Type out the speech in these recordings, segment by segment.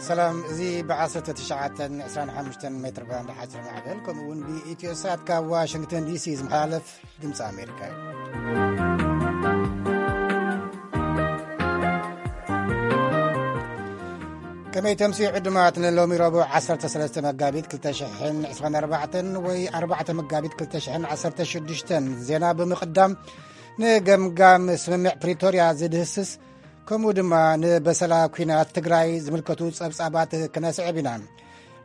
ሰላም፣ እዚ ብ1925 ሜትር ባንድ ሓፂር ማዕበል ከምኡ እውን ብኢትዮ ሳት ካብ ዋሽንግተን ዲሲ ዝመሓላለፍ ድምፂ ኣሜሪካ እዩ። ከመይ ተምስዩ ዕዱማት ንሎሚ ረቡዕ 13 መጋቢት 2024 ወይ 4 መጋቢት 2016። ዜና ብምቕዳም፣ ንገምጋም ስምምዕ ፕሪቶርያ ዝድህስስ ከምኡ ድማ ንበሰላ ኲናት ትግራይ ዝምልከቱ ጸብጻባት ክነስዕብ ኢና።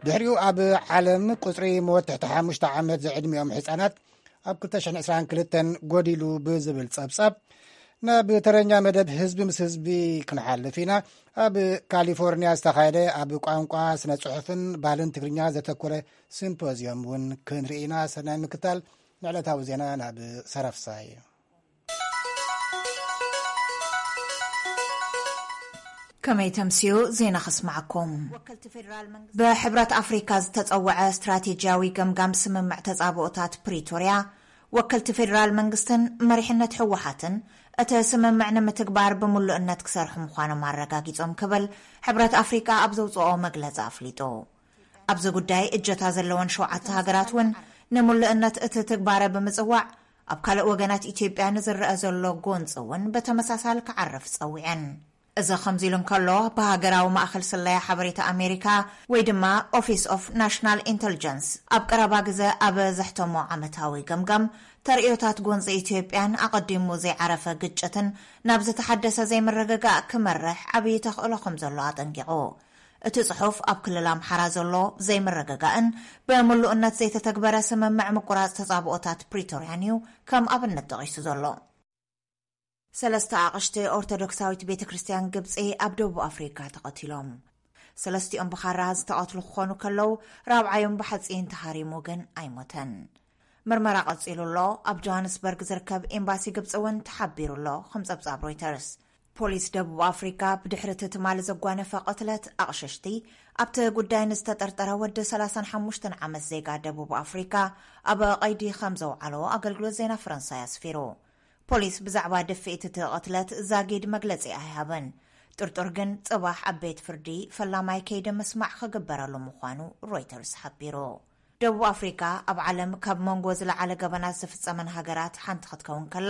ድሕሪኡ ኣብ ዓለም ቁጽሪ ሞት ትሕቲ ሓሙሽተ ዓመት ዝዕድሚኦም ህጻናት ኣብ 2022 ጎዲሉ ብዝብል ጸብጻብ፣ ናብ ተረኛ መደብ ህዝቢ ምስ ህዝቢ ክንሓልፍ ኢና። ኣብ ካሊፎርኒያ ዝተኻየደ ኣብ ቋንቋ ስነ ጽሑፍን ባህልን ትግርኛ ዘተኮረ ሲምፖዚየም እውን ክንርኢ ኢና። ሰናይ ምክታል። ንዕለታዊ ዜና ናብ ሰረፍሳይ። ከመይ ተምስዩ ዜና ከስማዓኩም። ብሕብረት ኣፍሪካ ዝተጸወዐ ስትራቴጂያዊ ገምጋም ስምምዕ ተጻብኦታት ፕሪቶርያ፣ ወከልቲ ፌደራል መንግስትን መሪሕነት ህወሓትን እቲ ስምምዕ ንምትግባር ብምሉእነት ክሰርሑ ምዃኖም ኣረጋጊጾም ክብል ሕብረት ኣፍሪካ ኣብ ዘውፅኦ መግለፂ ኣፍሊጡ። ኣብዚ ጉዳይ እጀታ ዘለወን ሸውዓተ ሃገራት እውን ንምሉእነት እቲ ትግባረ ብምጽዋዕ፣ ኣብ ካልእ ወገናት ኢትዮጵያ ንዝረአ ዘሎ ጎንፂ እውን ብተመሳሳሊ ክዓርፍ ጸዊዐን። እዚ ከምዚ ኢሉ እንከሎ፣ ብሃገራዊ ማእኸል ስለያ ሓበሬታ ኣሜሪካ ወይ ድማ ኦፊስ ኦፍ ናሽናል ኢንተልጀንስ ኣብ ቀረባ ግዘ ኣብ ዘሕተሞ ዓመታዊ ገምጋም፣ ተርእዮታት ጎንፂ ኢትዮጵያን ኣቐዲሙ ዘይዓረፈ ግጭትን ናብ ዝተሓደሰ ዘይምርግጋእ ክመርሕ ዓብዪ ተኽእሎ ከም ዘሎ ኣጠንቂቑ። እቲ ጽሑፍ ኣብ ክልል ኣምሓራ ዘሎ ዘይምርግጋእን ብምሉእነት ዘይተተግበረ ስምምዕ ምቁራጽ ተጻብኦታት ፕሪቶርያን እዩ ከም ኣብነት ጠቒሱ ዘሎ። ሰለስተ ኣቕሽቲ ኦርቶዶክሳዊት ቤተ ክርስቲያን ግብጺ ኣብ ደቡብ ኣፍሪካ ተቐቲሎም። ሰለስቲኦም ብኻራ ዝተቐትሉ ክኾኑ ከለዉ፣ ራብዓዮም ብሓጺን ተሃሪሙ ግን ኣይሞተን። ምርመራ ቀጺሉ ኣሎ። ኣብ ጆሃንስበርግ ዝርከብ ኤምባሲ ግብጺ እውን ተሓቢሩ ኣሎ፣ ከም ጸብጻብ ሮይተርስ። ፖሊስ ደቡብ ኣፍሪካ ብድሕሪ እቲ ትማሊ ዘጓነፈ ቅትለት ኣቕሸሽቲ፣ ኣብቲ ጉዳይ ንዝተጠርጠረ ወዲ 35 ዓመት ዜጋ ደቡብ ኣፍሪካ ኣብ ቀይዲ ከም ዘውዓሎ ኣገልግሎት ዜና ፈረንሳይ ኣስፊሩ። ፖሊስ ብዛዕባ ድፍኢት እቲ ቅትለት ዛጊድ መግለጺ ኣይሃበን። ጥርጡር ግን ጽባሕ ኣብ ቤት ፍርዲ ፈላማይ ከይዲ ምስማዕ ክግበረሉ ምዃኑ ሮይተርስ ሓቢሩ። ደቡብ ኣፍሪካ ኣብ ዓለም ካብ መንጎ ዝለዓለ ገበናት ዝፍጸመን ሃገራት ሓንቲ ክትከውን ከላ፣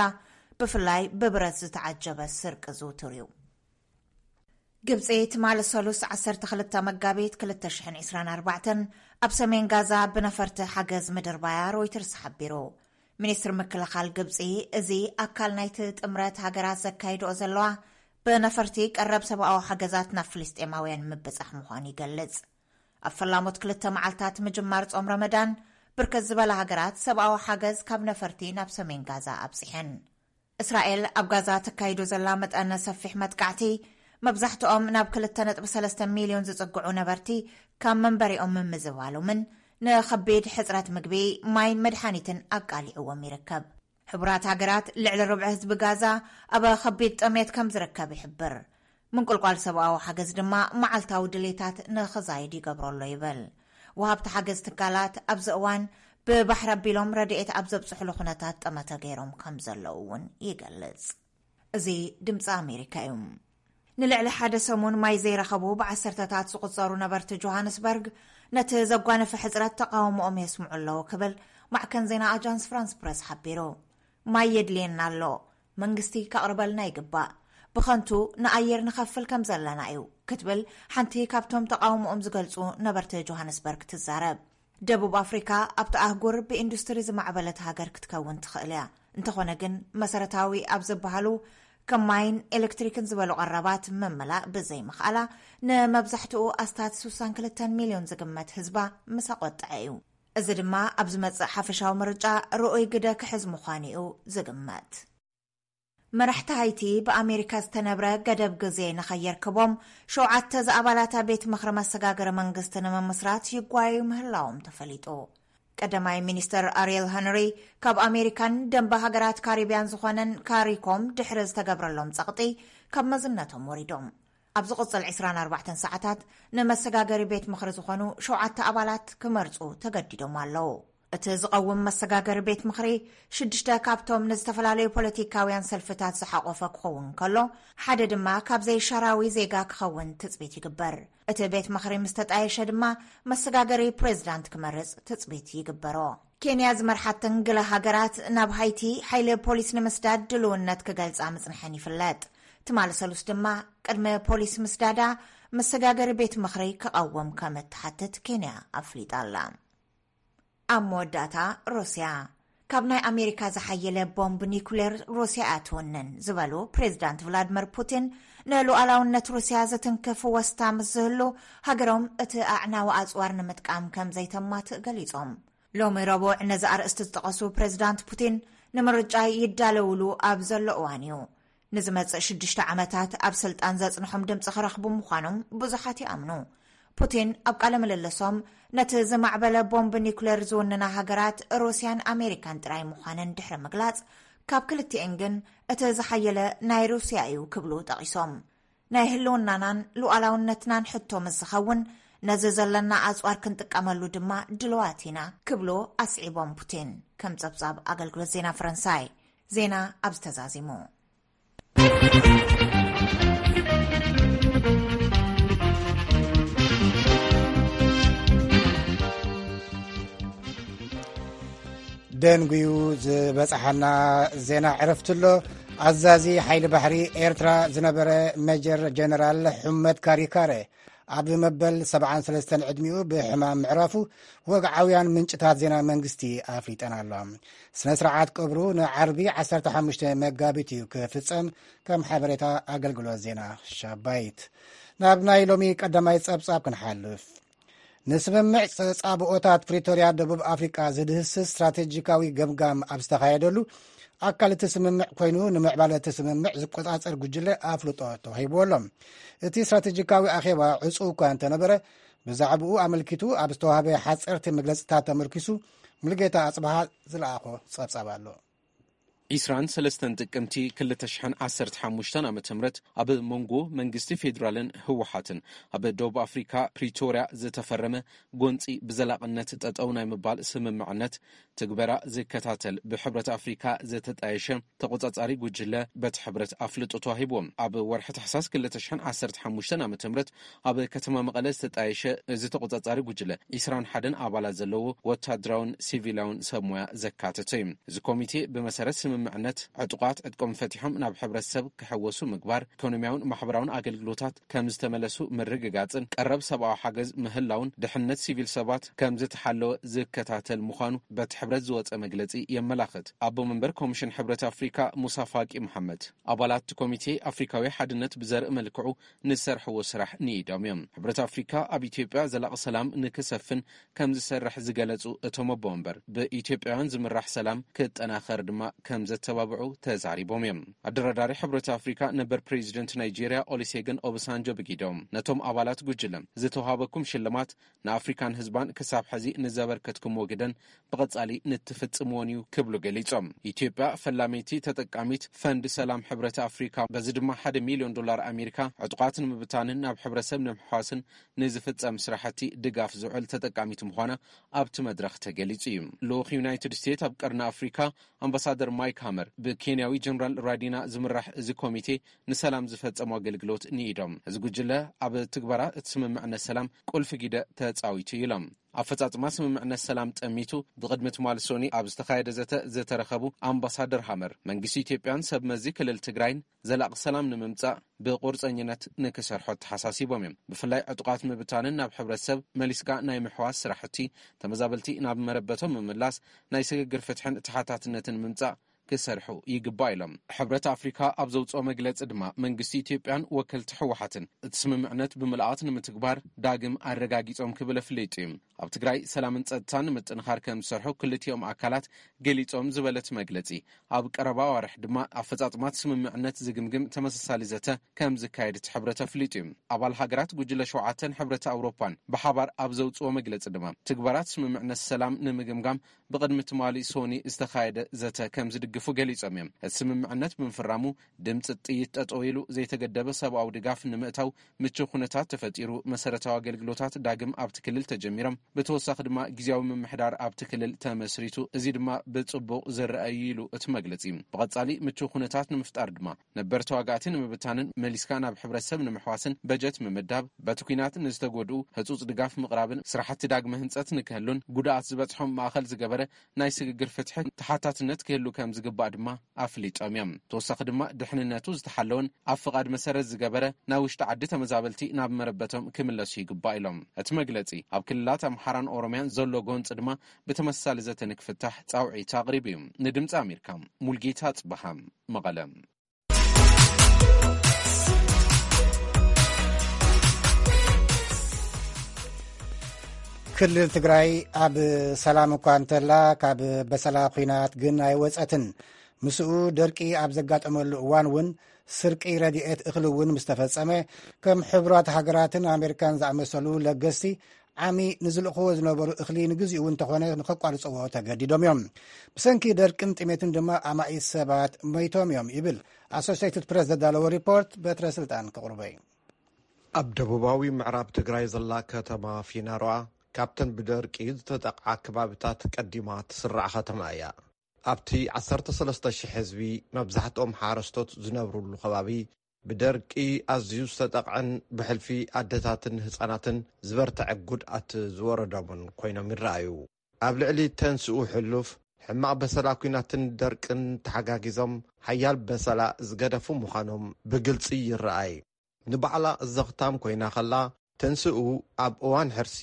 ብፍላይ ብብረት ዝተዓጀበ ስርቂ ዝውቱር እዩ። ግብጺ ትማሊ ሰሉስ 12 መጋቢት 2024 ኣብ ሰሜን ጋዛ ብነፈርቲ ሓገዝ ምድርባያ ሮይተርስ ሓቢሩ። ሚኒስትሪ ምክልኻል ግብጺ፣ እዚ ኣካል ናይቲ ጥምረት ሃገራት ዘካይድኦ ዘለዋ ብነፈርቲ ቀረብ ሰብኣዊ ሓገዛት ናብ ፍልስጤማውያን ምብጻሕ ምዃኑ ይገልጽ። ኣብ ፈላሞት ክልተ መዓልታት ምጅማር ጾም ረመዳን፣ ብርክት ዝበላ ሃገራት ሰብኣዊ ሓገዝ ካብ ነፈርቲ ናብ ሰሜን ጋዛ ኣብጺሐን። እስራኤል ኣብ ጋዛ ተካይዶ ዘላ መጠነ ሰፊሕ መጥቃዕቲ፣ መብዛሕትኦም ናብ 2.3 ሚልዮን ዝጽግዑ ነበርቲ ካብ መንበሪኦም ምምዝባሎምን ንኸቢድ ሕጽረት ምግቢ፣ ማይን መድሓኒትን ኣቃሊዕዎም ይርከብ። ሕቡራት ሃገራት ልዕሊ ርብዒ ህዝቢ ጋዛ ኣብ ከቢድ ጥሜት ከም ዝርከብ ይሕብር። ምንቁልቋል ሰብኣዊ ሓገዝ ድማ መዓልታዊ ድሌታት ንኽዛይድ ይገብሮ ኣሎ ይብል። ወሃብቲ ሓገዝ ትካላት ኣብዚ እዋን ብባሕሪ ኣቢሎም ረድኤት ኣብ ዘብጽሕሉ ኩነታት ጠመተ ገይሮም ከም ዘለዉ እውን ይገልጽ። እዚ ድምፂ ኣሜሪካ እዩ። ንልዕሊ ሓደ ሰሙን ማይ ዘይረኸቡ ብዓሰርተታት ዝቑጸሩ ነበርቲ ጆሃንስበርግ ነቲ ዘጓነፈ ሕጽረት ተቃውሞኦም የስምዑ ኣለዉ ክብል ማዕከን ዜና ኣጃንስ ፍራንስ ፕረስ ሓቢሩ። ማይ የድልየና ኣሎ፣ መንግስቲ ከቕርበልና ይግባእ፣ ብኸንቱ ንኣየር ንኸፍል ከም ዘለና እዩ ክትብል ሓንቲ ካብቶም ተቃውሞኦም ዝገልጹ ነበርቲ ጆሃንስበርግ ትዛረብ። ደቡብ ኣፍሪካ ኣብቲ ኣህጉር ብኢንዱስትሪ ዝማዕበለት ሃገር ክትከውን ትኽእል እያ። እንተኾነ ግን መሰረታዊ ኣብ ዝበሃሉ ከም ማይን ኤሌክትሪክን ዝበሉ ቀረባት ምምላእ ብዘይምኽኣላ ንመብዛሕትኡ ኣስታት 62 ሚልዮን ዝግመት ህዝባ ምስ ኣቆጠዐ እዩ። እዚ ድማ ኣብ ዝመጽእ ሓፈሻዊ ምርጫ ርኡይ ግደ ክሕዝ ምዃኑ እዩ ዝግመት። መራሕቲ ሃይቲ ብኣሜሪካ ዝተነብረ ገደብ ግዜ ንኸየርክቦም ሸውዓተ ዝኣባላታ ቤት ምኽሪ መሰጋገሪ መንግስቲ ንምምስራት ይጓየዩ ምህላዎም ተፈሊጡ። ቀዳማይ ሚኒስተር ኣሪየል ሀንሪ ካብ ኣሜሪካን ደንበ ሃገራት ካሪብያን ዝኾነን ካሪኮም ድሕሪ ዝተገብረሎም ጸቕጢ ካብ መዝነቶም ወሪዶም። ኣብ ዝቕጽል 24 ሰዓታት ንመሰጋገሪ ቤት ምኽሪ ዝኾኑ ሸውዓተ ኣባላት ክመርጹ ተገዲዶም ኣለዉ። እቲ ዝቐውም መሰጋገሪ ቤት ምኽሪ ሽዱሽተ ካብቶም ንዝተፈላለዩ ፖለቲካውያን ሰልፍታት ዝሓቖፈ ክኸውን ከሎ፣ ሓደ ድማ ካብ ዘይሻራዊ ዜጋ ክኸውን ትጽቢት ይግበር። እቲ ቤት ምኽሪ ምስ ተጣየሸ ድማ መሰጋገሪ ፕሬዝዳንት ክመርጽ ትጽቢት ይግበሮ። ኬንያ ዝመርሓተን ገለ ሃገራት ናብ ሃይቲ ሓይሊ ፖሊስ ንምስዳድ ድልውነት ክገልጻ ምጽንሐን ይፍለጥ። ትማሊ ሰሉስ ድማ ቅድሚ ፖሊስ ምስዳዳ መሰጋገሪ ቤት ምኽሪ ክቐውም ከም እትሓትት ኬንያ ኣፍሊጣ ኣላ። ኣብ መወዳእታ፣ ሩስያ ካብ ናይ ኣሜሪካ ዝሓየለ ቦምብ ኒኩሌር ሩስያ እያ ትውንን ዝበሉ ፕሬዝዳንት ቭላድመር ፑቲን፣ ንሉዓላውነት ሩስያ ዝትንክፍ ወስታ ምስ ዝህሉ፣ ሃገሮም እቲ ኣዕናዊ ኣጽዋር ንምጥቃም ከም ዘይተማትእ ገሊጾም። ሎሚ ረቡዕ ነዚ ኣርእስቲ ዝጠቐሱ ፕሬዝዳንት ፑቲን፣ ንምርጫ ይዳለውሉ ኣብ ዘሎ እዋን እዩ። ንዝመጽእ ሽዱሽተ ዓመታት ኣብ ስልጣን ዘጽንሖም ድምጺ ክረኽቡ ምዃኖም ብዙሓት ይኣምኑ። ፑቲን ኣብ ቃለ ምልልሶም፣ ነቲ ዝማዕበለ ቦምብ ኒኩሌር ዝውንና ሃገራት ሩስያን ኣሜሪካን ጥራይ ምዃነን ድሕሪ ምግላጽ፣ ካብ ክልቲኤን ግን እቲ ዝሓየለ ናይ ሩስያ እዩ ክብሉ ጠቒሶም። ናይ ህልውናናን ሉዓላውነትናን ሕቶ ምስ ዝኸውን፣ ነዚ ዘለና ኣጽዋር ክንጥቀመሉ ድማ ድልዋት ኢና ክብሉ ኣስዒቦም ፑቲን፣ ከም ጸብጻብ ኣገልግሎት ዜና ፈረንሳይ። ዜና ኣብዚ ተዛዚሙ። ደንጉዩ ዝበጽሓና ዜና ዕረፍቲ ኣሎ። ኣዛዚ ሓይሊ ባሕሪ ኤርትራ ዝነበረ ሜጀር ጀነራል ሑመድ ካሪካረ ኣብ መበል ሰብዓን ሰለስተን ዕድሚኡ ብሕማም ምዕራፉ ወግዓውያን ምንጭታት ዜና መንግስቲ ኣፍሊጠን ኣለዋ። ስነ ስርዓት ቀብሩ ንዓርቢ ዓሰርተ ሓሙሽተ መጋቢት እዩ ክፍጸም፣ ከም ሓበሬታ ኣገልግሎት ዜና ሻባይት። ናብ ናይ ሎሚ ቀዳማይ ጸብጻብ ክንሓልፍ። ንስምምዕ ጸጻብኦታት ፕሪቶርያ ደቡብ ኣፍሪቃ ዝድህስስ ስትራቴጂካዊ ገምጋም ኣብ ዝተኻየደሉ፣ ኣካል እቲ ስምምዕ ኮይኑ ንምዕባለ እቲ ስምምዕ ዝቆጻጸር ጉጅለ ኣፍልጦ ተዋሂብዎ ኣሎ። እቲ ስትራቴጂካዊ ኣኼባ ዕጹው እኳ እንተነበረ፣ ብዛዕባኡ ኣመልኪቱ ኣብ ዝተዋህበ ሓጸርቲ መግለጽታት ተመርኪሱ፣ ሙሉጌታ ኣጽብሃ ዝለኣኾ ጸብጻብ ኣሎ። ዒስራን ሰለስተን ጥቅምቲ ክልተ ሽሕን ዓሰርተ ሓሙሽተን ዓመተ ምህረት ኣብ መንጎ መንግስቲ ፌዴራልን ህወሓትን ኣብ ደቡብ ኣፍሪካ ፕሪቶርያ ዝተፈረመ ጎንፂ ብዘላቕነት ጠጠው ናይ ምባል ስምምዕነት ትግበራ ዝከታተል ብሕብረት ኣፍሪካ ዝተጣየሸ ተቆጻጻሪ ጉጅለ በቲ ሕብረት ኣፍልጦ ተዋሂብዎም። ኣብ ወርሒ ታሕሳስ ክልተ ሽሕን ዓሰርተ ሓሙሽተን ዓመተ ምህረት ኣብ ከተማ መቐለ ዝተጣየሸ እዚ ተቆጻጻሪ ጉጅለ ዒስራን ሓደን ኣባላት ዘለዎ ወታደራውን ሲቪላውን ሰብ ሞያ ዘካተተ እዩ። እዚ ኮሚቴ ብመሰረት ስምምዕነት ዕጡቓት ዕጥቆም ፈቲሖም ናብ ሕብረተሰብ ክሕወሱ ምግባር፣ ኢኮኖሚያውን ማሕበራውን ኣገልግሎታት ከም ዝተመለሱ ምርግጋጽን ቀረብ ሰብኣዊ ሓገዝ ምህላውን ድሕነት ሲቪል ሰባት ከም ዝተሓለወ ዝከታተል ምዃኑ በቲ ሕብረት ዝወጸ መግለጺ የመላኽት። ኣቦ መንበር ኮሚሽን ሕብረት ኣፍሪካ ሙሳ ፋቂ መሓመድ ኣባላት እቲ ኮሚቴ ኣፍሪካዊ ሓድነት ብዘርኢ መልክዑ ንዝሰርሕዎ ስራሕ ንኢዶም እዮም። ሕብረት ኣፍሪካ ኣብ ኢትዮጵያ ዘላቒ ሰላም ንክሰፍን ከም ዝሰርሕ ዝገለጹ እቶም ኣቦ መንበር፣ ብኢትዮጵያውያን ዝምራሕ ሰላም ክጠናኸር ድማ ከም ዘተባብዑ ተዛሪቦም እዮም። ኣደራዳሪ ሕብረት ኣፍሪካ ነበር ፕሬዚደንት ናይጄርያ ኦሊሴግን ኦባሳንጆ ብጊዶም ነቶም ኣባላት ጉጅለ ዝተዋሃበኩም ሽልማት ንኣፍሪካን ህዝባን ክሳብ ሕዚ ንዘበርከትኩምዎ ግደን ብቐጻሊ ንትፍጽምዎን እዩ ክብሉ ገሊጾም። ኢትዮጵያ ፈላመይቲ ተጠቃሚት ፈንድ ሰላም ሕብረት ኣፍሪካ፣ በዚ ድማ ሓደ ሚልዮን ዶላር ኣሜሪካ ዕጡቓት ንምብታንን ናብ ሕብረተሰብ ንምሕዋስን ንዝፍጸም ስራሕቲ ድጋፍ ዝውዕል ተጠቃሚት ምዃና ኣብቲ መድረኽ ተገሊጹ እዩ። ልኡኽ ዩናይትድ ስቴትስ ኣብ ቀርኒ ኣፍሪካ ኣምባሳደር ማይክ ሃመር ብኬንያዊ ጀነራል ራዲና ዝምራሕ እዚ ኮሚቴ ንሰላም ዝፈጸሙ ኣገልግሎት ንኢዶም። እዚ ጉጅለ ኣብ ትግበራ እቲ ስምምዕነት ሰላም ቁልፊ ግደ ተጻዊቱ ኢሎም። ኣፈጻጽማ ስምምዕነት ሰላም ጠሚቱ ብቕድሚ ትማሊ ሶኒ ኣብ ዝተኻየደ ዘተ ዝተረኸቡ ኣምባሳደር ሃመር፣ መንግስቲ ኢትዮጵያን ሰብ መዚ ክልል ትግራይን ዘላቒ ሰላም ንምምጻእ ብቑርጸኝነት ንክሰርሑ ኣተሓሳሲቦም እዮም። ብፍላይ ዕጡቓት ምብታንን ናብ ሕብረተሰብ መሊስካ ናይ ምሕዋስ ስራሕቲ፣ ተመዛበልቲ ናብ መረበቶም ምምላስ፣ ናይ ስግግር ፍትሕን ተሓታትነትን ምምጻእ ክሰርሑ ይግባእ ኢሎም። ሕብረት ኣፍሪካ ኣብ ዘውፅኦ መግለፂ ድማ መንግስቲ ኢትዮጵያን ወከልቲ ህወሓትን እቲ ስምምዕነት ብምልኣት ንምትግባር ዳግም ኣረጋጊፆም ክብል ኣፍሊጡ እዩ። ኣብ ትግራይ ሰላምን ፀጥታን ንምጥንኻር ከም ዝሰርሑ ክልቲኦም ኣካላት ገሊፆም ዝበለት መግለፂ፣ ኣብ ቀረባ ኣዋርሕ ድማ ኣፈፃፅማት ስምምዕነት ዝግምግም ተመሳሳሊ ዘተ ከም ዝካየድ እቲ ሕብረት ኣፍሊጡ እዩ። ኣባል ሃገራት ጉጅለ ሸውዓተን ሕብረት ኣውሮፓን ብሓባር ኣብ ዘውፅኦ መግለፂ ድማ ትግባራት ስምምዕነት ሰላም ንምግምጋም ብቕድሚ ትማሊ ሶኒ ዝተኻየደ ዘተ ከም ክደግፉ ገሊጾም እዮም። እቲ ስምምዕነት ብምፍራሙ ድምፂ ጥይት ጠጠው ኢሉ፣ ዘይተገደበ ሰብኣዊ ድጋፍ ንምእታው ምቹው ኩነታት ተፈጢሩ፣ መሰረታዊ ኣገልግሎታት ዳግም ኣብቲ ክልል ተጀሚሮም፣ ብተወሳኺ ድማ ግዜያዊ ምምሕዳር ኣብቲ ክልል ተመስሪቱ፣ እዚ ድማ ብፅቡቕ ዝረኣዩ ኢሉ እቲ መግለፂ። ብቐፃሊ ምቹው ኩነታት ንምፍጣር ድማ ነበር ተዋጋእቲ ንምብታንን መሊስካ ናብ ሕብረተሰብ ንምሕዋስን በጀት ምምዳብ፣ በቲ ኲናት ንዝተጎድኡ ህጹጽ ድጋፍ ምቕራብን ስራሕቲ ዳግመ ህንጸት ንክህሉን ጉድኣት ዝበጽሖም ማእኸል ዝገበረ ናይ ስግግር ፍትሒ ተሓታትነት ክህሉ ከም ዝግባእ ድማ ኣፍሊጦም እዮም። ተወሳኺ ድማ ድሕንነቱ ዝተሓለወን ኣብ ፍቓድ መሰረት ዝገበረ ናይ ውሽጢ ዓዲ ተመዛበልቲ ናብ መረበቶም ክምለሱ ይግባእ ኢሎም። እቲ መግለጺ ኣብ ክልላት ኣምሓራን ኦሮምያን ዘሎ ጎንፂ ድማ ብተመሳሳሊ ዘተ ንክፍታሕ ጻውዒት ኣቕሪቡ እዩ። ንድምፂ ኣሜሪካ ሙልጌታ ጽበሃ፣ መቐለ። ክልል ትግራይ ኣብ ሰላም እኳ እንተላ፣ ካብ በሰላ ኲናት ግን ኣይወጸትን። ምስኡ ደርቂ ኣብ ዘጋጠመሉ እዋን እውን ስርቂ ረድኤት እኽሊ እውን ምስ ተፈጸመ፣ ከም ሕቡራት ሃገራትን ኣሜሪካን ዝኣመሰሉ ለገስቲ ዓሚ ንዝልእኽዎ ዝነበሩ እኽሊ ንግዚኡ እንተኾነ ንኸቋርጽዎ ተገዲዶም እዮም። ብሰንኪ ደርቅን ጥሜትን ድማ ኣማኢት ሰባት ሞይቶም እዮም ይብል ኣሶሴይትድ ፕሬስ ዘዳለዎ ሪፖርት። በትረ ስልጣን ክቕርበይ። ኣብ ደቡባዊ ምዕራብ ትግራይ ዘላ ከተማ ፊናሮኣ ካብተን ብደርቂ ዝተጠቕዓ ከባብታት ቀዲማ ትስራዕ ከተማ እያ። ኣብቲ ዓሰርተ ሰለስተ ሽሕ ህዝቢ፣ መብዛሕትኦም ሓረስቶት ዝነብሩሉ ከባቢ፣ ብደርቂ ኣዝዩ ዝተጠቕዐን ብሕልፊ ኣደታትን ህጻናትን ዝበርትዐ ጉድኣት ዝወረዶምን ኮይኖም ይረኣዩ። ኣብ ልዕሊ ተንስኡ ሕሉፍ፣ ሕማቕ በሰላ ኲናትን ደርቅን ተሓጋጊዞም ሓያል በሰላ ዝገደፉ ምዃኖም ብግልጺ ይረኣይ። ንባዕላ ዘኽታም ኮይና ከላ፣ ተንስኡ ኣብ እዋን ሕርሲ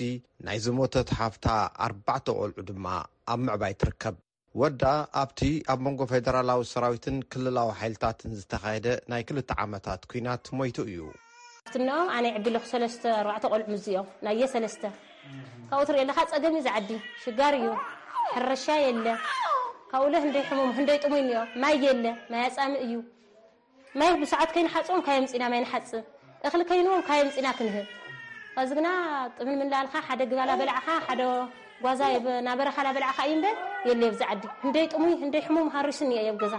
ናይ ዝሞተት ሓፍታ ኣርባዕተ ቆልዑ ድማ ኣብ ምዕባይ ትርከብ። ወዳ ኣብቲ ኣብ መንጎ ፌደራላዊ ሰራዊትን ክልላዊ ሓይልታትን ዝተኻየደ ናይ ክልተ ዓመታት ኲናት ሞይቱ እዩ። ትንኦም ኣነ ይዕቢ ኣለኹ ሰለስተ ኣርባዕተ ቆልዑ ምስዚኦም ናየ ሰለስተ። ካብኡ ትሪኦ ኣለኻ ጸገም እዩ ዝዓዲ ሽጋር እዩ። ሕርሻ የለ። ካብኡለ ህንደይ ሕሙም ህንደይ ጥሙይ እኒኦ ማይ የለ። ማይ ኣጻሚ እዩ። ማይ ብሰዓት ከይንሓጽቦም ካየምጺና ማይ ንሓጽብ። እኽሊ ከይንዎም ካየምጺና ክንህብ። ኸዚ ግና ጥምን ምን ላልኻ ሓደ ግባላ በላዕኻ ሓደ ጓዛ የብ- ናበረኻ ላበላዕኻ እዩ እምበር የለ የብዚ ዓዲ። ህንደይ ጥሙይ ህንደይ ሕሙም ሃሪስኒ እየ የብ ገዛ።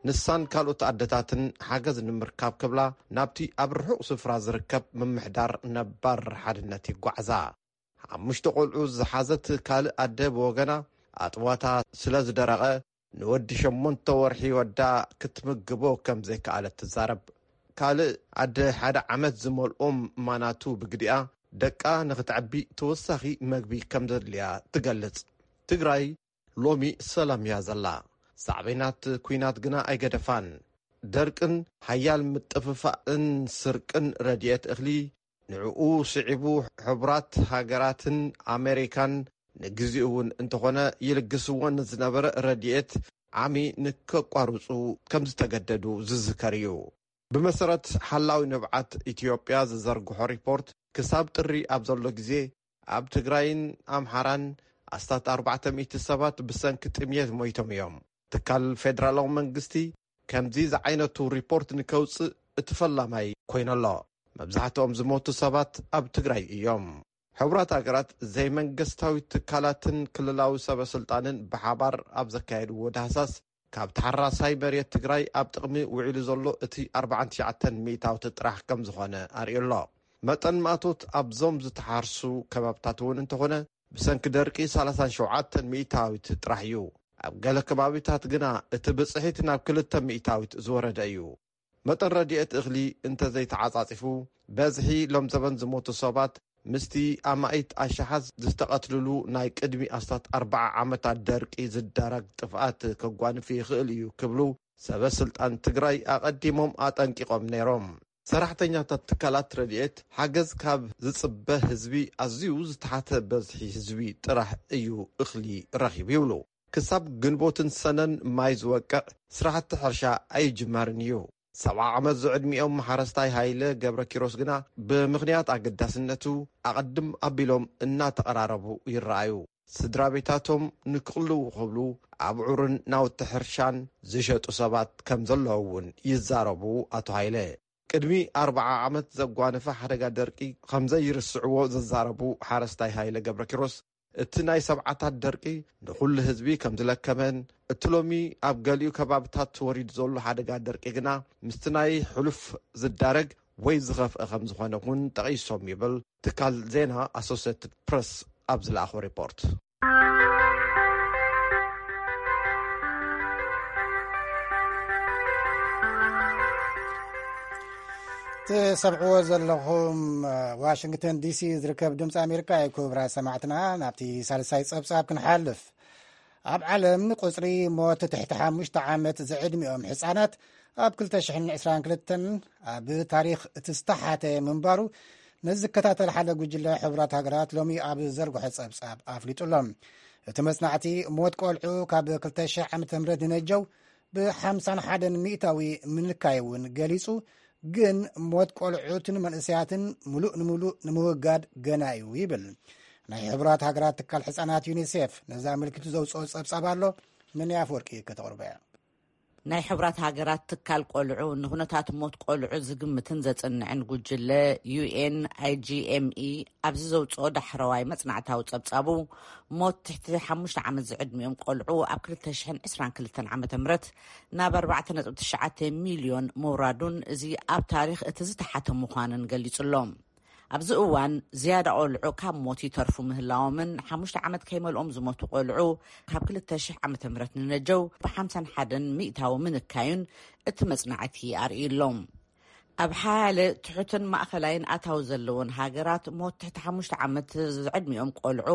ንሳን ካልኦት ኣደታትን ሓገዝ ንምርካብ ክብላ ናብቲ ኣብ ርሑቕ ስፍራ ዝርከብ ምምሕዳር ነባር ሓድነት ይጓዓዛ። ሓሙሽተ ቆልዑ ዝሓዘት ካልእ ኣደ ብወገና ኣጥዋታ ስለ ዝደረቐ ንወዲ ሸሞንተ ወርሒ ወዳ ክትምግቦ ከም ዘይከኣለት ትዛረብ። ካልእ ኣደ ሓደ ዓመት ዝመልኦም ማናቱ ብግዲኣ ደቃ ንኽትዕቢ ተወሳኺ መግቢ ከም ዘድልያ ትገልጽ። ትግራይ ሎሚ ሰላም እያ ዘላ። ሳዕቤናት ኲናት ግና ኣይገደፋን። ደርቅን ሓያል ምጥፍፋእን ስርቅን ረድኤት እኽሊ፣ ንዕኡ ስዒቡ ሕቡራት ሃገራትን ኣሜሪካን ንግዚኡ እውን እንተኾነ ይልግስዎ ንዝነበረ ረድኤት ዓሚ ንከቋርጹ ከም ዝተገደዱ ዝዝከር እዩ። ብመሰረት ሓላዊ ንብዓት ኢትዮጵያ ዝዘርግሖ ሪፖርት፣ ክሳብ ጥሪ ኣብ ዘሎ ግዜ ኣብ ትግራይን ኣምሓራን ኣስታት ኣርባዕተ ሚእቲ ሰባት ብሰንኪ ጥምየት ሞይቶም እዮም። ትካል ፌደራላዊ መንግስቲ ከምዚ ዝዓይነቱ ሪፖርት ንከውፅእ እቲ ፈላማይ ኮይኑ ኣሎ። መብዛሕትኦም ዝሞቱ ሰባት ኣብ ትግራይ እዮም። ሕቡራት ሃገራት ዘይመንግስታዊ ትካላትን ክልላዊ ሰበ ስልጣንን ብሓባር ኣብ ዘካየድዎ ዳህሳስ፣ ካብ ተሓራሳይ መሬት ትግራይ ኣብ ጥቕሚ ውዒሉ ዘሎ እቲ ኣርባዓን ትሽዓተን ሚእታዊት ጥራሕ ከም ዝኾነ ኣርእዩ ኣሎ። መጠን ማእቶት ኣብዞም ዝተሓርሱ ከባብታት እውን እንተኾነ፣ ብሰንኪ ደርቂ ሰላሳን ሸውዓተን ሚእታዊት ጥራሕ እዩ። ኣብ ገለ ከባቢታት ግና እቲ ብፅሒት ናብ ክልተ ሚእታዊት ዝወረደ እዩ። መጠን ረድኤት እኽሊ እንተዘይተዓፃፂፉ፣ በዝሒ ሎም ዘበን ዝሞቱ ሰባት ምስቲ ኣማኢት ኣሽሓት ዝተቐትልሉ ናይ ቅድሚ ኣስታት ኣርባዓ ዓመታት ደርቂ ዝዳረግ ጥፍኣት ከጓንፍ ይኽእል እዩ ክብሉ ሰበ ስልጣን ትግራይ ኣቐዲሞም ኣጠንቂቖም ነይሮም። ሰራሕተኛታት ትካላት ረድኤት ሓገዝ ካብ ዝጽበ ህዝቢ ኣዝዩ ዝተሓተ በዝሒ ህዝቢ ጥራሕ እዩ እኽሊ ረኺቡ ይብሉ። ክሳብ ግንቦትን ሰነን ማይ ዝወቅዕ ስራሕቲ ሕርሻ ኣይጅመርን እዩ። ሰብዓ ዓመት ዝዕድሚኦም ሓረስታይ ሃይለ ገብረ ኪሮስ ግና ብምኽንያት ኣገዳስነቱ ኣቐድም ኣቢሎም እናተቐራረቡ ይረኣዩ። ስድራ ቤታቶም ንክቕልዉ ክብሉ ኣብዑርን ናውቲ ሕርሻን ዝሸጡ ሰባት ከም ዘለዉ እውን ይዛረቡ ኣቶ ሃይለ። ቅድሚ ኣርብዓ ዓመት ዘጓነፈ ሓደጋ ደርቂ ከም ዘይርስዕዎ ዘዛረቡ ሓረስታይ ሃይለ ገብረ ኪሮስ፣ እቲ ናይ ሰብዓታት ደርቂ ንኹሉ ህዝቢ ከም ዝለከመን፣ እቲ ሎሚ ኣብ ገሊኡ ከባብታት ወሪዱ ዘሎ ሓደጋ ደርቂ ግና ምስቲ ናይ ሕሉፍ ዝዳረግ ወይ ዝኸፍአ ከም ዝኾነ እውን ጠቒሶም ይብል ትካል ዜና ኣሶሴትድ ፕረስ ኣብ ዝለኣኾ ሪፖርት። ትሰምዕዎ ዘለኹም ዋሽንግተን ዲሲ ዝርከብ ድምፂ ኣሜሪካ እዩ። ክቡራት ሰማዕትና፣ ናብቲ ሳልሳይ ፀብፃብ ክንሓልፍ። ኣብ ዓለም ቁፅሪ ሞት ትሕቲ ሓሙሽተ ዓመት ዝዕድሚኦም ህፃናት ኣብ ክልተ ሽሕን ዕስራን ክልተን ኣብ ታሪኽ እቲ ዝተሓተ ምንባሩ ነዚ ዝከታተል ሓደ ጉጅለ ሕቡራት ሃገራት ሎሚ ኣብ ዘርግሖ ጸብጻብ ኣፍሊጡ ኣሎ። እቲ መጽናዕቲ ሞት ቆልዑ ካብ ክልተ ሽሕ ዓመተ ምህረት ንነጀው ብ ሓምሳን ሓደን ሚእታዊ ምንካይ እውን ገሊጹ፣ ግን ሞት ቆልዑትን መንእሰያትን ምሉእ ንምሉእ ንምውጋድ ገና እዩ ይብል። ናይ ሕቡራት ሃገራት ትካል ሕጻናት ዩኒሴፍ ነዚ ኣመልኪቱ ዘውጽኦ ጸብጻብ ኣሎ። ምንያ ኣፈወርቂ ከተቕርቦ እያ። ናይ ሕቡራት ሃገራት ትካል ቆልዑ ንኹነታት ሞት ቆልዑ ዝግምትን ዘጽንዕን ጉጅለ ዩ ኤን ኣይ ጂ ኤም ኢ ኣብዚ ዘውጽኦ ዳሕረዋይ መጽናዕታዊ ጸብጻቡ፣ ሞት ትሕቲ ሓሙሽተ ዓመት ዝዕድሚኦም ቆልዑ ኣብ ክልተ ሽሕን ዕስራን ክልተን ዓመተ ምህረት ናብ ኣርባዕተ ነጥቢ ትሽዓተ ሚልዮን ምውራዱን፣ እዚ ኣብ ታሪኽ እቲ ዝተሓተ ምዃንን ገሊጹ ኣሎ። ኣብዚ እዋን ዝያዳ ቆልዑ ካብ ሞት ይተርፉ ምህላዎምን፣ ሓሙሽተ ዓመት ከይመልኦም ዝሞቱ ቆልዑ ካብ ክልተ ሽሕ ዓመተ ምህረት ንነጀው ብ ሓምሳን ሓደን ሚእታዊ ምንካዩን እቲ መጽናዕቲ ኣርእዩ ኣሎ። ኣብ ሓያለ ትሑትን ማእኸላይን ኣታዊ ዘለወን ሃገራት ሞት ትሕቲ ሓሙሽተ ዓመት ዝዕድሚኦም ቆልዑ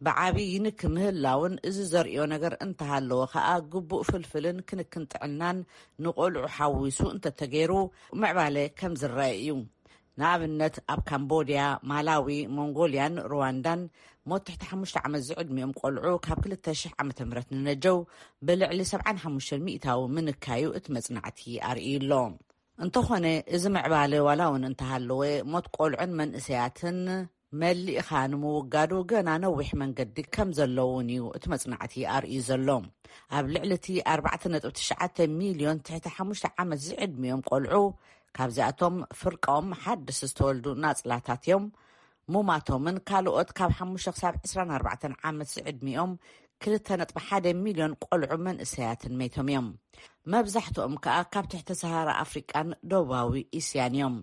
ብዓቢ ይንኪ ምህላውን፣ እዚ ዘርእዮ ነገር እንተሃለወ ከኣ ግቡእ ፍልፍልን ክንክን ጥዕናን ንቆልዑ ሓዊሱ እንተተገይሩ ምዕባለ ከም ዝረአ እዩ። ንኣብነት ኣብ ካምቦድያ፣ ማላዊ፣ ሞንጎልያን ሩዋንዳን ሞት ትሕቲ ሓሙሽተ ዓመት ዝዕድሚኦም ቆልዑ ካብ ክልተ ሽሕ ዓመተ ምህረት ንነጀው ብልዕሊ ሰብዓን ሓሙሽተን ሚእታዊ ምንካዩ እቲ መጽናዕቲ ኣርእዩ ኣሎ። እንተኾነ፣ እዚ ምዕባለ ዋላ እውን እንተሃለወ፣ ሞት ቆልዑን መንእሰያትን መሊእኻ ንምውጋዱ ገና ነዊሕ መንገዲ ከም ዘለውን እዩ እቲ መጽናዕቲ ኣርእዩ ዘሎ። ኣብ ልዕሊ እቲ ኣርባዕተ ነጥቢ ትሽዓተ ሚልዮን ትሕቲ ሓሙሽተ ዓመት ዝዕድሚኦም ቆልዑ፣ ካብዚኣቶም ፍርቃኦም ሓድስ ዝተወልዱ ናጽላታት እዮም። ሙማቶምን ካልኦት ካብ ሓሙሽተ ክሳብ ዕስራን ኣርባዕተን ዓመት ዝዕድሚኦም ክልተ ነጥቢ ሓደ ሚልዮን ቆልዑ መንእሰያትን መይቶም እዮም። መብዛሕትኦም ከኣ ካብ ትሕቲ ሰሃራ ኣፍሪቃን ደቡባዊ እስያን እዮም።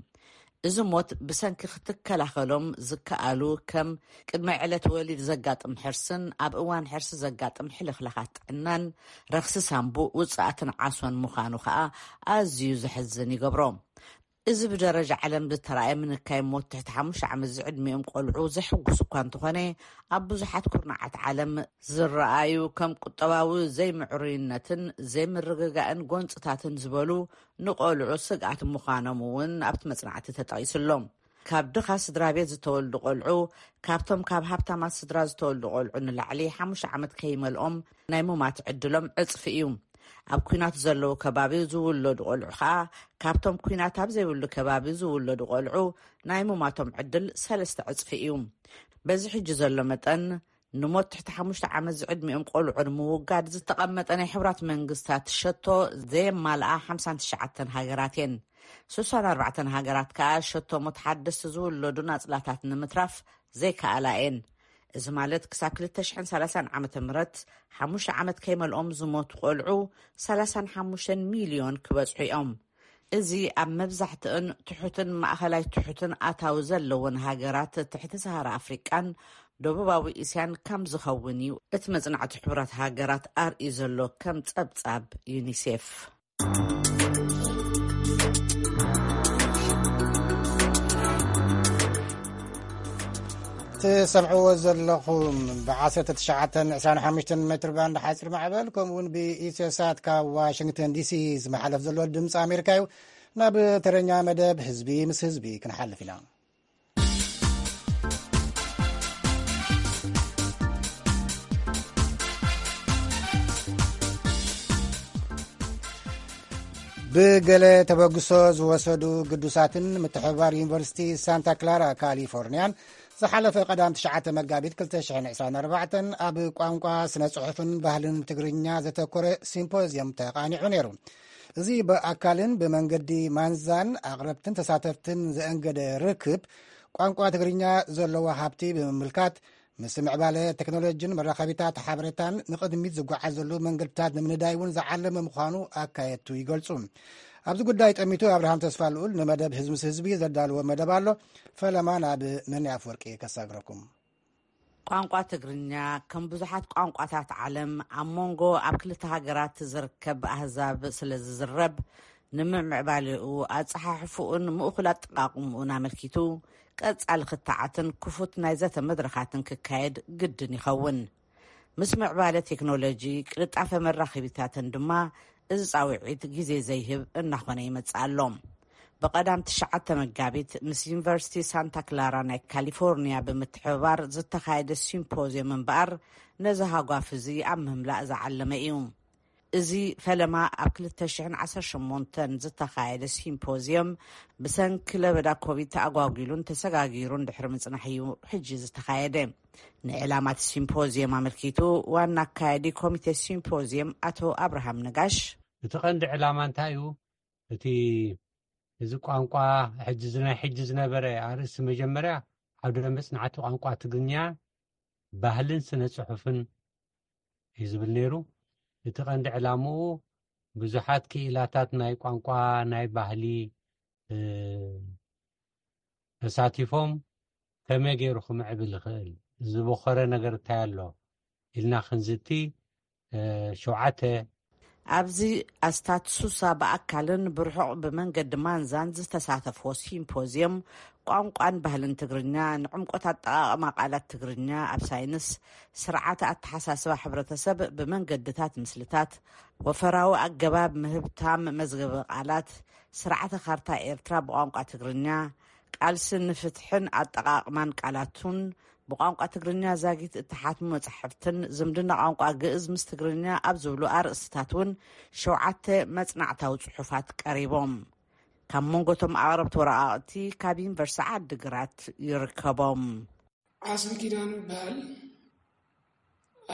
እዚ ሞት ብሰንኪ ክትከላኸሎም ዝከኣሉ ከም ቅድመ ዕለት ወሊድ ዘጋጥም ሕርስን ኣብ እዋን ሕርሲ ዘጋጥም ሕልኽላኻት ጥዕናን ረኽሲ ሳንቡእ ውጽኣትን ዓሶን ምዃኑ ከኣ ኣዝዩ ዘሕዝን ይገብሮ። እዚ ብደረጃ ዓለም ዝተራእየ ምንካይ ሞት ትሕቲ ሓሙሽተ ዓመት ዝዕድሚኦም ቆልዑ ዘሕጉስ እኳ እንተኾነ፣ ኣብ ብዙሓት ኩርናዓት ዓለም ዝረኣዩ ከም ቁጠባዊ ዘይምዕሩይነትን ዘይምርግጋእን ጎንጽታትን ዝበሉ ንቆልዑ ስግኣት ምዃኖም እውን ኣብቲ መጽናዕቲ ተጠቒሱ ኣሎ። ካብ ድኻ ስድራ ቤት ዝተወልዱ ቆልዑ፣ ካብቶም ካብ ሃብታማት ስድራ ዝተወልዱ ቆልዑ ንላዕሊ ሓሙሽተ ዓመት ከይመልኦም ናይ ሙማት ዕድሎም ዕጽፊ እዩ። ኣብ ኲናት ዘለዉ ከባቢ ዝውለዱ ቆልዑ ኸኣ፣ ካብቶም ኲናት ኣብ ዘይብሉ ከባቢ ዝውለዱ ቆልዑ ናይ ሙማቶም ዕድል ሰለስተ ዕጽፊ እዩ። በዚ ሕጂ ዘሎ መጠን፣ ንሞት ትሕቲ ሓሙሽተ ዓመት ዝዕድሚኦም ቆልዑ ንምውጋድ ዝተቐመጠ ናይ ሕቡራት መንግስታት ሸቶ ዘየማልኣ ሓምሳን ትሽዓተን ሃገራት እየን። ስሳን ኣርባዕተን ሃገራት ከኣ ሸቶ ሞት ሓደስቲ ዝውለዱ ናጽላታት ንምትራፍ ዘይከኣላ እየን። እዚ ማለት ክሳብ ክልተ ሽሕን ሰላሳን ዓመተ ምህረት ሓሙሽተ ዓመት ከይመልኦም ዝሞቱ ቆልዑ ሰላሳን ሓሙሽተን ሚልዮን ክበጽሑ እዮም። እዚ ኣብ መብዛሕትእን ትሑትን ማእኸላይ ትሑትን ኣታዊ ዘለወን ሃገራት ትሕቲ ሰሃራ ኣፍሪቃን ደቡባዊ እስያን ከም ዝኸውን እዩ እቲ መጽናዕቲ ሕቡራት ሃገራት ኣርእዩ ዘሎ፣ ከም ጸብጻብ ዩኒሴፍ። ትሰምዕዎ ዘለኹም ብ ዓሰርተ ትሽዓተን ዕስራን ሓሙሽተን ሜትር ባንድ ሓፂር ማዕበል፣ ከምኡ እውን ብኢትዮሳት ካብ ዋሽንግተን ዲሲ ዝመሓለፍ ዘሎ ድምፂ ኣሜሪካ እዩ። ናብ ተረኛ መደብ ህዝቢ ምስ ህዝቢ ክንሓልፍ ኢና። ብገለ ተበግሶ ዝወሰዱ ግዱሳትን ምትሕብባር ዩኒቨርሲቲ ሳንታ ክላራ ካሊፎርኒያን ዝሓለፈ ቀዳም ትሽዓተ መጋቢት ክልተ ሽሕን ዕስራን ኣርባዕተን ኣብ ቋንቋ፣ ስነ ጽሑፍን ባህልን ትግርኛ ዘተኮረ ሲምፖዝየም ተቓኒዑ ነይሩ። እዚ ብኣካልን ብመንገዲ ማንዛን ኣቕረብትን ተሳተፍትን ዘእንገደ ርክብ፣ ቋንቋ ትግርኛ ዘለዎ ሃብቲ ብምምልካት፣ ምስ ምዕባለ ቴክኖሎጂን መራኸቢታት ሓበሬታን ንቕድሚት ዝጓዓዘሉ መንገድታት ንምንዳይ እውን ዝዓለመ ምዃኑ ኣካየድቱ ይገልጹ። ኣብዚ ጉዳይ ጠሚቱ ኣብርሃም ተስፋ ልኡል ንመደብ ህዝቢ ምስ ህዝቢ ዘዳለዎ መደብ ኣሎ። ፈለማ ናብ መኒ ኣፍወርቂ ከሳግረኩም። ቋንቋ ትግርኛ ከም ብዙሓት ቋንቋታት ዓለም ኣብ መንጎ ኣብ ክልተ ሃገራት ዝርከብ ኣህዛብ ስለ ዝዝረብ፣ ንምምዕባሌኡ ኣጸሓሕፍኡን ምእኩል ኣጠቓቕምኡን ኣመልኪቱ ቀጻሊ ክትዓትን ክፉት ናይ ዘተ መድረኻትን ክካየድ ግድን ይኸውን። ምስ ምዕባለ ቴክኖሎጂ ቅልጣፈ መራኸቢታትን ድማ እዚ ጻውዒት ግዜ ዘይህብ እናኾነ ይመጽእ ኣሎ። ብቐዳም ትሽዓተ መጋቢት ምስ ዩኒቨርሲቲ ሳንታ ክላራ ናይ ካሊፎርኒያ ብምትሕብባር ዝተኻየደ ሲምፖዝየም እምበኣር ነዚ ሃጓፍ እዚ ኣብ ምምላእ ዝዓለመ እዩ። እዚ ፈለማ ኣብ ክልተ ሽሕን ዓሰርተ ሸሞንተን ዝተኻየደ ሲምፖዝየም ብሰንኪ ለበዳ ኮቪድ ተኣጓጒሉን ተሰጋጊሩን ድሕሪ ምጽናሕ እዩ ሕጂ ዝተኻየደ። ንዕላማ እቲ ሲምፖዝየም ኣመልኪቱ ዋና ኣካያዲ ኮሚቴ ሲምፖዝየም ኣቶ ኣብርሃም ነጋሽ፣ እቲ ቀንዲ ዕላማ እንታይ እዩ? እቲ እዚ ቋንቋ ሕጂ ዝ-፣ ናይ ሕጂ ዝነበረ ኣርእስቲ መጀመርያ ዓውደ መጽናዕቲ ቋንቋ ትግርኛ ባህልን ስነ ጽሑፍን እዩ ዝብል ነይሩ። እቲ ቀንዲ ዕላምኡ ብዙሓት ክኢላታት ናይ ቋንቋ፣ ናይ ባህሊ፣ እ፣ ተሳቲፎም ከመይ ገይሩ ክምዕብል ይኽእል፣ ዝበኾረ ነገር እንታይ ኣሎ ኢልና ክንዝቲ፣ እ፣ ሸውዓተ ኣብዚ ኣስታት ሱሳ ብኣካልን ብርሑቕ ብመንገዲ ማንዛን ዝተሳተፍዎ ሲምፖዝየም ቋንቋን ባህልን ትግርኛ፣ ንዕምቆት ኣጠቓቕማ ቃላት ትግርኛ ኣብ ሳይንስ፣ ስርዓተ ኣተሓሳስባ ሕብረተሰብ ብመንገድታት ምስልታት፣ ወፈራዊ ኣገባብ ምህብታም መዝገበ ቃላት፣ ስርዓተ ካርታ ኤርትራ ብቋንቋ ትግርኛ፣ ቃልሲ ንፍትሕን ኣጠቓቕማን ቃላቱን፣ ብቋንቋ ትግርኛ ዛጊት እተሓትሙ መጻሕፍትን ዝምድና ቋንቋ ግእዝ ምስ ትግርኛ ኣብ ዝብሉ ኣርእስትታት እውን ሸውዓተ መጽናዕታዊ ጽሑፋት ቀሪቦም። ካብ መንጎቶም ኣቕረብቲ ወረቓቕቲ ካብ ዩኒቨርሲቲ ዓዲግራት ይርከቦም። ዓስቢ ኪዳኑ ይበሃል።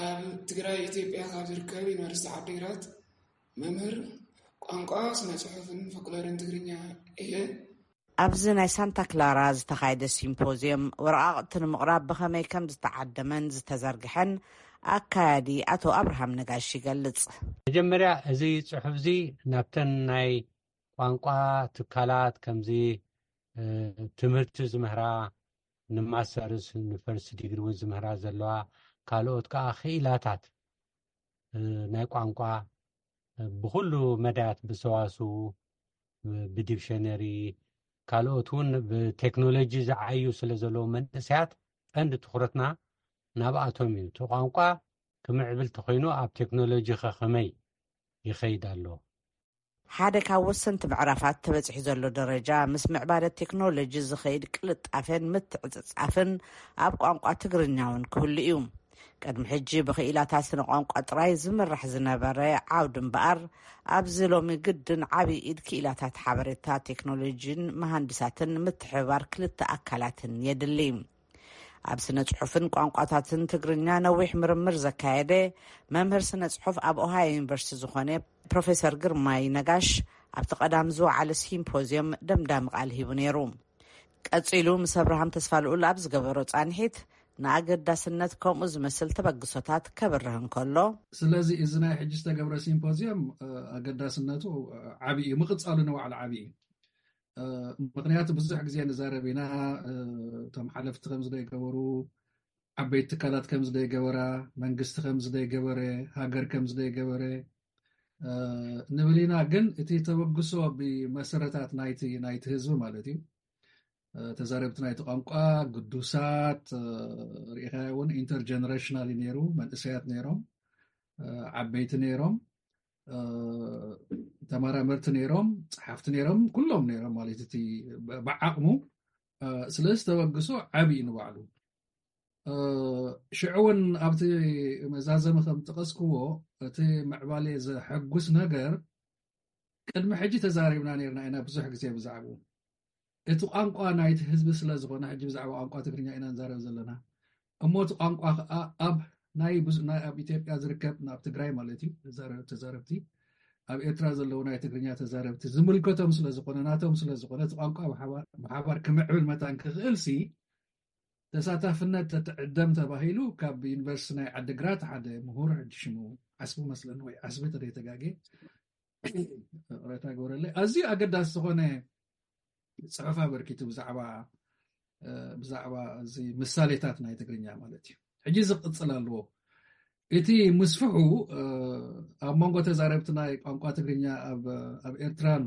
ኣብ ትግራይ ኢትዮጵያ ካብ ዝርከብ ዩኒቨርሲቲ ዓዲግራት መምህር ቋንቋ፣ ስነ ጽሑፍን ፎክሎርን ትግርኛ እየ። ኣብዚ ናይ ሳንታ ክላራ ዝተኻየደ ሲምፖዝየም ወረቓቕቲ ንምቕራብ ብኸመይ ከም ዝተዓደመን ዝተዘርግሐን ኣካያዲ ኣቶ ኣብርሃም ነጋሽ ይገልጽ። መጀመርያ እዚ ጽሑፍ እዚ ናብተን ናይ ቋንቋ ትካላት ከምዚ፣ እ፣ ትምህርቲ ዝምህራ ንማስተርስ ንፈርስት ዲግሪ እውን ዝምህራ ዘለዋ ካልኦት ከዓ ክኢላታት፣ እ፣ ናይ ቋንቋ፣ እ፣ ብኹሉ መዳያት ብሰዋስው፣ እ፣ ብዲክሸነሪ ካልኦት እውን ብቴክኖሎጂ ዝዓዩ ስለ ዘለዉ መንእሰያት ቀንዲ ትኹረትና ናብኣቶም እዩ። እቲ ቋንቋ ክምዕብል ተኾይኑ ኣብ ቴክኖሎጂ ከ ከመይ ይኸይድ ኣሎ? ሓደ ካብ ወሰንቲ ምዕራፋት ተበጺሑ ዘሎ ደረጃ ምስ ምዕባለ ቴክኖሎጂ ዝኸይድ ቅልጣፌን ምትዕጽጻፍን ኣብ ቋንቋ ትግርኛ እውን ክህሉ እዩ። ቅድሚ ሕጂ ብኽኢላታት ስነ ቋንቋ ጥራይ ዝምራሕ ዝነበረ ዓውዲ እምበኣር፣ ኣብዚ ሎሚ ግድን ዓቢ ኢድ ክኢላታት ሓበሬታ ቴክኖሎጂን መሃንድሳትን ምትሕብባር ክልተ ኣካላትን የድሊ። ኣብ ስነ ጽሑፍን ቋንቋታትን ትግርኛ ነዊሕ ምርምር ዘካየደ መምህር ስነ ጽሑፍ ኣብ ኦሃዮ ዩኒቨርሲቲ ዝኾነ ፕሮፌሰር ግርማይ ነጋሽ ኣብቲ ቀዳም ዝወዓለ ሲምፖዝየም ደምዳሚ ቃል ሂቡ ነይሩ። ቀጺሉ ምስ ኣብርሃም ተስፋ ልኡል ኣብ ዝገበሮ ጻንሒት ንኣገዳስነት ከምኡ ዝመስል ተበግሶታት ከብርህ እንከሎ፣ ስለዚ እዚ ናይ ሕጂ ዝተገብረ ሲምፖዝየም፣ እ፣ ኣገዳስነቱ፣ እ፣ ዓቢ እዩ። ምቕጻሉ ንባዕሉ ዓቢ እዩ። እ፣ ምኽንያቱ ብዙሕ ግዜ ንዛረብ ኢና፣ እ፣ እቶም ሓለፍቲ ከምዚ ዘይገበሩ፣ ዓበይቲ ትካላት ከምዚ ዘይገበራ፣ መንግስቲ ከምዚ ዘይገበረ፣ ሃገር ከምዚ ዘይገበረ፣ እ፣ ንብል ኢና። ግን እቲ ተበግሶ ብመሰረታት ናይቲ፣ ናይቲ ህዝቢ ማለት እዩ። እ፣ ተዛረብቲ ናይቲ ቋንቋ ግዱሳት፣ እ፣ ርኢኻዮ እውን ኢንተርጀነሬሽናል እዩ ነይሩ። መንእሰያት ነይሮም፣ እ፣ ዓበይቲ ነይሮም፣ እ፣ ተመራመርቲ ነይሮም፣ ጸሓፍቲ ነይሮም፣ ኩሎም ነይሮም ማለት እቲ ብ-፣ ብዓቕሙ፣ እ፣ ስለዚ ተበግሶ ዓቢ እዩ ንባዕሉ። እ፣ ሽዑ እውን ኣብቲ መዛዘሚ ከም ጠቐስክዎ፣ እቲ ምዕባሌ ዘሐጉስ ነገር ቅድሚ ሕጂ ተዛሪብና ነይርና ኢና ብዙሕ ግዜ ብዛዕባኡ። እቲ ቋንቋ ናይቲ ህዝቢ ስለ ዝኾነ፣ ሕጂ ብዛዕባ ቋንቋ ትግርኛ ኢና ንዛረብ ዘለና። እሞ እቲ ቋንቋ ኸኣ ኣብ ናይ ብዙ-፣ ናይ ኣብ ኢትዮጵያ ዝርከብ፣ ኣብ ትግራይ ማለት እዩ፣ ተዛረ-፣ ተዛረብቲ፣ ኣብ ኤርትራ ዘለዉ ናይ ትግርኛ ተዛረብቲ ዝምልከቶም ስለ ዝኾነ፣ ናቶም ስለ ዝኾነ፣ እቲ ቋንቋ ብሓባር፣ ብሓባር ክምዕብል መታን ክኽእልሲ፣ ተሳታፍነት ተትዕደም ተባሂሉ ካብ ዩኒቨርሲቲ ናይ ዓዲግራት ሓደ ምሁር፣ ሕጂ ሽሙ ዓስቢ መስለኒ ወይ ዓስቢ ተደይተጋጌ፣ ቅሬታ ግበረለይ፣ ኣዝዩ ኣገዳሲ ዝኾነ ጽሑፍ ኣበርኪቱ ብዛዕባ ብዛዕባ እዚ ምሳሌታት ናይ ትግርኛ ማለት እዩ። ሕጂ ዝቕጽል ኣለዎ። እቲ ምስፍሑ ኣብ መንጎ ተዛረብቲ ናይ ቋንቋ ትግርኛ ኣብ ኤርትራን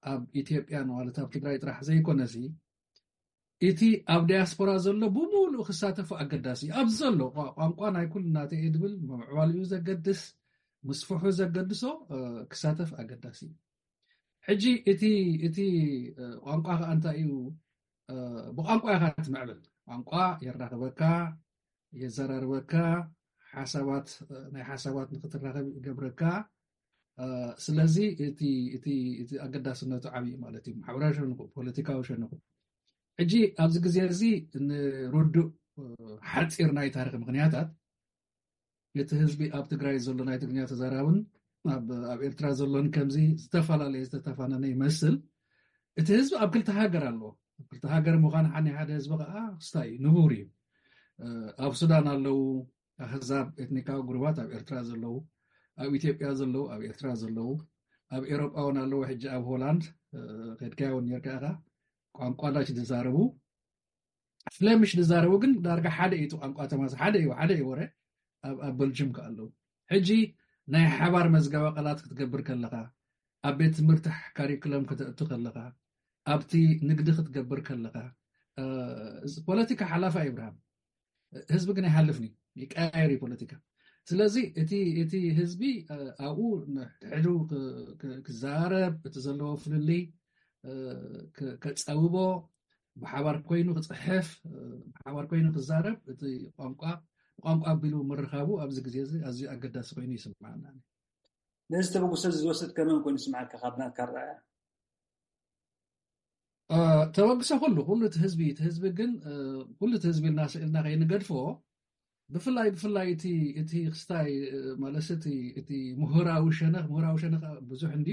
ኣብ ኢትዮጵያን ማለት ኣብ ትግራይ ጥራሕ ዘይኮነሲ፣ እቲ ኣብ ዳያስፖራ ዘሎ ብምሉእ ክሳተፉ ኣገዳሲ እዩ። ኣብዚ ዘሎ ቋንቋ ናይ ኩሉ ናተይ እየ ድብል ምምዕባልኡ ዘገድስ፣ ምስፍሑ ዘገድሶ ክሳተፍ ኣገዳሲ እዩ። ሕጂ እቲ እቲ ቋንቋ ከዓ እንታይ እዩ? ብቋንቋ ኢኻ ትምዕብል። ቋንቋ የራኽበካ፣ የዘራርበካ፣ ሓሳባት፣ ናይ ሓሳባት ንክትራኸብ ይገብረካ። ስለዚ እቲ እቲ እቲ ኣገዳስነቱ ዓብዪ ማለት እዩ። ማሕበራዊ ሸነኹ፣ ፖለቲካዊ ሸነኹ። ሕጂ ኣብዚ ግዜ እዚ ንርዱእ ሓፂር ናይ ታሪክ ምክንያታት፣ እቲ ህዝቢ ኣብ ትግራይ ዘሎ ናይ ትግርኛ ተዛራብን ኣብ ኤርትራ ዘሎን ከምዚ ዝተፈላለየ ዝተተፋነነ ይመስል። እቲ ህዝቢ ኣብ ክልተ ሃገር ኣለዎ። ኣብ ክልተ ሃገር ምዃን ሓኒ ሓደ ህዝቢ ከዓ ክስታይ እዩ፣ ንቡር እዩ። ኣብ ሱዳን ኣለዉ ኣህዛብ፣ ኤትኒካዊ ጉሩባት ኣብ ኤርትራ ዘለዉ፣ ኣብ ኢትዮጵያ ዘለዉ ኣብ ኤርትራ ዘለዉ፣ ኣብ ኤሮጳ እውን ኣለዉ። ሕጂ ኣብ ሆላንድ ከድካዮ እውን ነርካ ኢኻ። ቋንቋ ዳች ዝዛረቡ፣ ፍለምሽ ዝዛረቡ ግን ዳርጋ ሓደ እዩ። እቲ ቋንቋ ተማስ ሓደ እዩ፣ ሓደ እዩ ወረ ኣብ ኣብ በልጅም ከ ኣለዉ። ሕጂ ናይ ሓባር መዝገበ ቃላት ክትገብር ከለኻ፣ ኣብ ቤት ትምህርቲ ካሪኩለም ከተእቱ ከለኻ፣ ኣብቲ ንግዲ ክትገብር ከለኻ፣ ፖለቲካ ሓላፋ ይብርሃም፣ ህዝቢ ግን ኣይሓልፍን እዩ፣ ይቀያየር እዩ ፖለቲካ። ስለዚ እቲ እቲ ህዝቢ ኣብኡ ንሕድሕዱ ክዛረብ፣ እቲ ዘለዎ ፍልልይ ከፀብቦ፣ ብሓባር ኮይኑ ክፅሕፍ፣ ብሓባር ኮይኑ ክዛረብ፣ እቲ ቋንቋ ብቋንቋ ኣቢሉ ምርኻቡ ኣብዚ ግዜ እዚ ኣዝዩ ኣገዳሲ ኮይኑ ይስምዓና። ነዚ ተበግሶ እዚ ዝወሰድከ መን ኮይኑ ይስምዓካ ካብ ናትካ ኣረኣእያ? ተበግሶ ኩሉ ኩሉ እቲ ህዝቢ እቲ ህዝቢ ግን ኩሉ እቲ ህዝቢ ኢልና ስእልና ከይንገድፎ፣ ብፍላይ ብፍላይ እቲ እቲ ክስታይ ማለት እቲ እቲ ምሁራዊ ሸነኽ ምሁራዊ ሸነኽ ብዙሕ እንዲ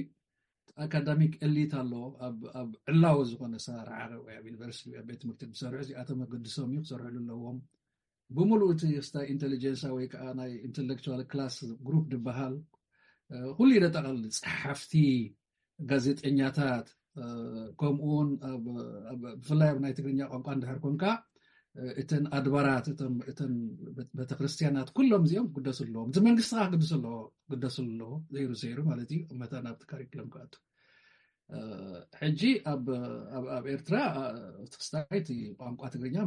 ኣካዳሚክ ኤሊት ኣሎ። ኣብ ዕላዊ ዝኾነ ኣሰራርሓ ወይ ኣብ ዩኒቨርሲቲ ኣብ ቤት ትምህርቲ ዝሰርሑ እዚኣቶም ኣገድሶም እዩ ክሰርሕሉ ኣለዎም። ብምሉእ እቲ ክስታይ ኢንቴሊጀንሳ ወይ ከዓ ናይ ኢንቴሌክቹዋል ክላስ ግሩፕ ዝበሃል ኩሉ የጠቓልል። ፀሓፍቲ፣ ጋዜጠኛታት፣ ከምኡውን ብፍላይ ኣብ ናይ ትግርኛ ቋንቋ እንድሕር ኮንካ እተን ኣድባራት እተን ቤተክርስትያናት ኩሎም እዚኦም ክግደሱ ኣለዎም። እቲ መንግስቲ ከዓ ክግደሱ ኣለዎ ክግደሱ ኣለዎ ዘይሩ ዘይሩ ማለት እዩ። መታን ኣብቲ ካሪክለም ክኣቱ ሕጂ ኣብ ኤርትራ እቲ ክስታይ እቲ ቋንቋ ትግርኛ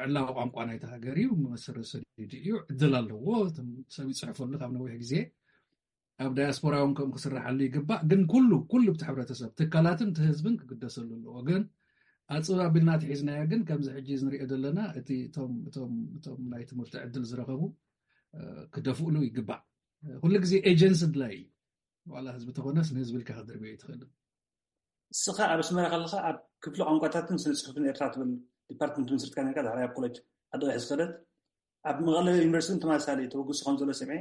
ዕላዊ ቋንቋ ናይቲ ሃገር እዩ። መሰረት ሰዲዱ እዩ። ዕድል ኣለዎ። ሰብ ይፅሕፈሉ ካብ ነዊሕ ግዜ ኣብ ዳያስፖራ እውን ከምኡ ክስራሓሉ ይግባእ። ግን ኩሉ ኩሉ እቲ ሕብረተሰብ ትካላትን እቲ ህዝብን ክግደሰሉ ኣለዎ። ግን ኣፅብ ኣቢልና ተሒዝናዮ ግን ከምዚ ሕጂ ንሪኦ ዘለና እቲ እቶም እቶም እቶም ናይ ትምህርቲ ዕድል ዝረኸቡ ክደፍእሉ ይግባእ። ኩሉ ግዜ ኤጀንሲ ድላይ እዩ። ዋላ ህዝቢ ተኾነስ ንህዝቢ ኢልካ ክድርብዮ ይትኽእል። እስኻ ኣብ ኣስመራ ከለኻ ኣብ ክፍሊ ቋንቋታትን ስነ ፅሑፍን ኤርትራ ትብል ዲፓርትመንት መስርትካ ነርካ። ዳሕራይ ኣብ ኮሌጅ ዓዲ ቀይሕ ዝኸደት ኣብ መቐለ ዩኒቨርሲቲ ተመሳሳሊ ተበግሶ ከም ዘሎ ሰምዐ።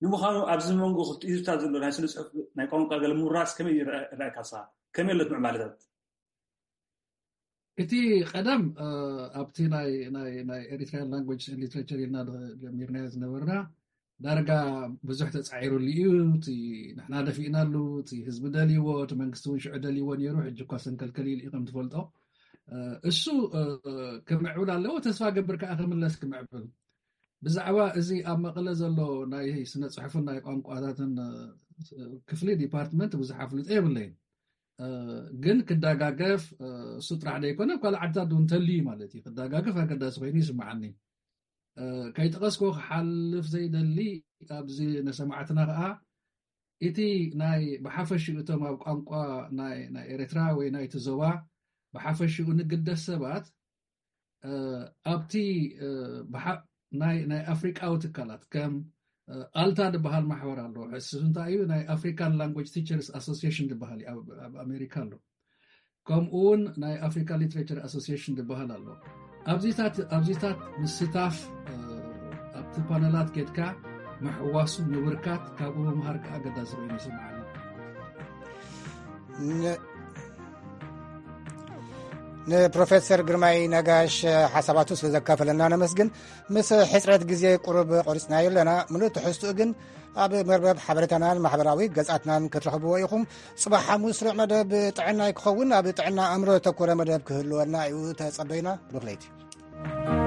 ንምዃኑ ኣብዚ መንጎ ክልቲኡ ህዝብታት ዘሎ ናይ ስነ ፅሑፍ ናይ ቋንቋ ገለ ምውራስ ከመይ ይረኣየካ ንስኻ? ከመይ ኣሎ እቲ ምዕባለታት? እቲ ቀደም ኣብቲ ናይ ናይ ናይ ኤሪትሪያን ላንጉጅ ሊትሬቸር ኢልና ጀሚርናዮ ዝነበርና ዳርጋ ብዙሕ ተፃዒሩሉ እዩ። እቲ ንሕና ደፊእናሉ፣ እቲ ህዝቢ ደልይዎ፣ እቲ መንግስቲ እውን ሽዑ ደልይዎ ነይሩ። ሕጂ እኳ ሰንከልከል ኢሉ እዩ ከም ትፈልጦ። እሱ ክምዕብል ኣለዎ። ተስፋ ገብር ከዓ ክምለስ ክምዕብል። ብዛዕባ እዚ ኣብ መቐለ ዘሎ ናይ ስነ ፅሑፍን ናይ ቋንቋታትን ክፍሊ ዲፓርትመንት ብዙሕ ኣፍልጦ የብለይን። ግን ክደጋገፍ እሱ ጥራሕ ደይኮነ ካልእ ዓድታት እውን እንተልዩ ማለት እዩ ክደጋገፍ ኣገዳሲ ኮይኑ ይስምዓኒ። ከይጠቐስኩ ክሓልፍ ዘይደሊ ኣብዚ ንሰማዕትና ከዓ እቲ ናይ ብሓፈሽኡ እቶም ኣብ ቋንቋ ናይ ኤርትራ ወይ ናይቲ ዞባ ብሓፈሽኡ ንግደስ ሰባት ኣብቲ ናይ ኣፍሪቃዊ ትካላት ከም ኣልታ ዝበሃል ማሕበር ኣሎ። ሕስስ እንታይ እዩ ናይ ኣፍሪካን ላንጉጅ ቲቸርስ ኣሶሲሽን ዝበሃል ኣብ ኣሜሪካ ኣሎ። ከምኡ እውን ናይ ኣፍሪካ ሊትሬቸር ኣሶሲሽን ዝበሃል ኣሎ። ኣብዚታት ምስታፍ ኣብቲ ፓነላት ኬድካ ምሕዋሱ ምብርካት ካብኡ ምምሃር ከዓ ኣገዳሲ ኮይኑ ይስምዓኒ። ንፕሮፌሰር ግርማይ ነጋሽ ሓሳባቱ ስለ ዘካፈለና ነመስግን። ምስ ሕጽረት ግዜ ቁሩብ ቆሪጽናዮ ኣለና። ምሉእ ትሕዝትኡ ግን ኣብ መርበብ ሓበሬታናን ማሕበራዊ ገጻትናን ክትረኽብዎ ኢኹም። ጽባሕ ሓሙስ ስሩዕ መደብ ጥዕና ይክኸውን። ኣብ ጥዕና ኣእምሮ ዘተኮረ መደብ ክህልወና እዩ። ተጸበዩና። ብሩኽ ለይቲ።